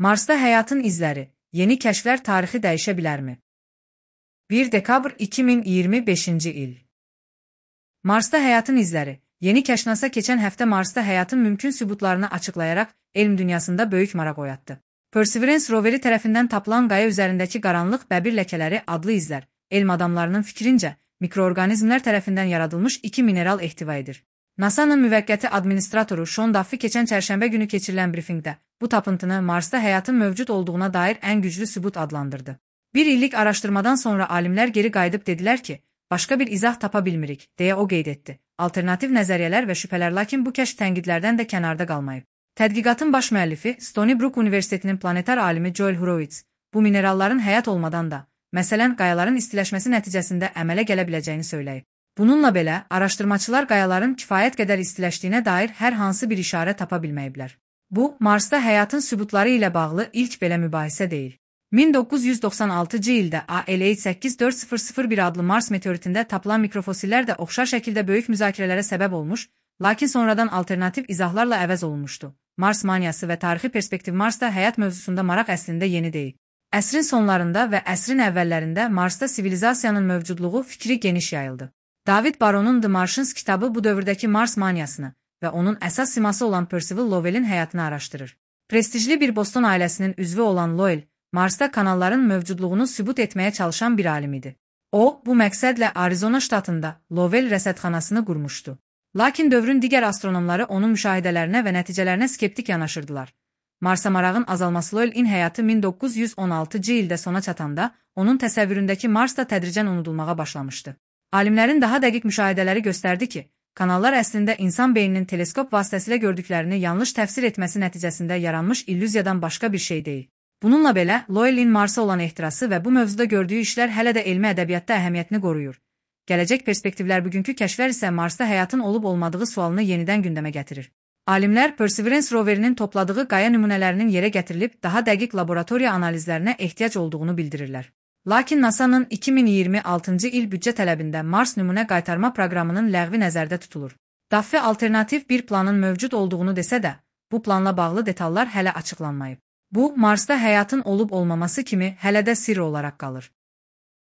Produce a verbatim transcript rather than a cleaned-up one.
Marsda həyatın izləri, yeni kəşflər tarixi dəyişə bilərmi? bir dekabr iki min iyirmi beşinci il. Marsda həyatın izləri, yeni kəşf NASA keçən həftə Marsda həyatın mümkün sübutlarını açıqlayaraq elm dünyasında böyük maraq oyatdı. Perseverance roveri tərəfindən tapılan qaya üzərindəki qaranlıq bəbir ləkələri adlı izlər, elm adamlarının fikrincə, mikroorqanizmlər tərəfindən yaradılmış iki mineral ehtiva edir. NASA'nın müvəqqəti administratoru Sean Duffy keçən çərşənbə günü keçirilən brifinqdə bu tapıntını Marsda həyatın mövcud olduğuna dair ən güclü sübut adlandırdı. Bir illik araşdırmadan sonra alimlər geri qayıdıb dedilər ki, başqa bir izah tapa bilmirik, deyə o qeyd etdi. Alternativ nəzəriyyələr və şübhələr, lakin bu kəşf tənqidlərdən də kənarda qalmayıb. Tədqiqatın baş müəllifi Stony Brook Universitetinin planetar alimi Joel Horowitz, bu mineralların həyat olmadan da, məsələn, qayaların istiləşməsi nəticəsində əmələ gələ biləcəyini söyləyib. Bununla belə, araşdırmaçılar qayaların kifayət qədər istiləşdiyinə dair hər hansı bir işarə tapa bilməyiblər. Bu, Marsda həyatın sübutları ilə bağlı ilk belə mübahisə deyil. min doqquz yüz doxsan altıncı ildə A L H səkkiz dörd sıfır sıfır bir adlı Mars meteoritində tapılan mikrofosillər də oxşar şəkildə böyük müzakirələrə səbəb olmuş, lakin sonradan alternativ izahlarla əvəz olunmuşdu. Mars maniyası və tarixi perspektiv. Marsda həyat mövzusunda maraq əslində yeni deyil. Əsrin sonlarında və əsrin əvvəllərində Marsda sivilizasiyanın mövcudluğu fikri geniş yayıldı. David Baron'un The Martians kitabı bu dövrdəki Mars maniyasını və onun əsas siması olan Percival Lowell'in həyatını araşdırır. Prestijli bir Boston ailəsinin üzvü olan Lowell, Marsda kanalların mövcudluğunu sübut etməyə çalışan bir alim idi. O, bu məqsədlə Arizona ştatında Lowell rəsədxanasını qurmuşdu. Lakin dövrün digər astronomları onun müşahidələrinə və nəticələrinə skeptik yanaşırdılar. Marsa marağın azalması. Lowell'in həyatı min doqquz yüz on altıncı ildə sona çatanda, onun təsəvvüründəki Mars da tədricən unudulmağa başlamışdı. Alimlərin daha dəqiq müşahidələri göstərdi ki, kanallar əslində insan beyninin teleskop vasitəsilə gördüklərini yanlış təfsir etməsi nəticəsində yaranmış illüziyadan başqa bir şey deyil. Bununla belə, Lowell'in Marsa olan ehtirası və bu mövzuda gördüyü işlər hələ də elmi ədəbiyyatda əhəmiyyətini qoruyur. Gələcək perspektivlər, bugünkü kəşflər isə Marsda həyatın olub-olmadığı sualını yenidən gündəmə gətirir. Alimlər Perseverance roverinin topladığı qaya nümunələrinin yerə gətirilib daha dəqiq laboratoriya analizlərinə ehtiyac olduğunu bildirirlər. Lakin NASA'nın iki min iyirmi altıncı il büdcə tələbində Mars nümunə qaytarma proqramının ləğvi nəzərdə tutulur. Duffy alternativ bir planın mövcud olduğunu desə də, bu planla bağlı detallar hələ açıqlanmayıb. Bu, Marsda həyatın olub-olmaması kimi hələ də sirr olaraq qalır.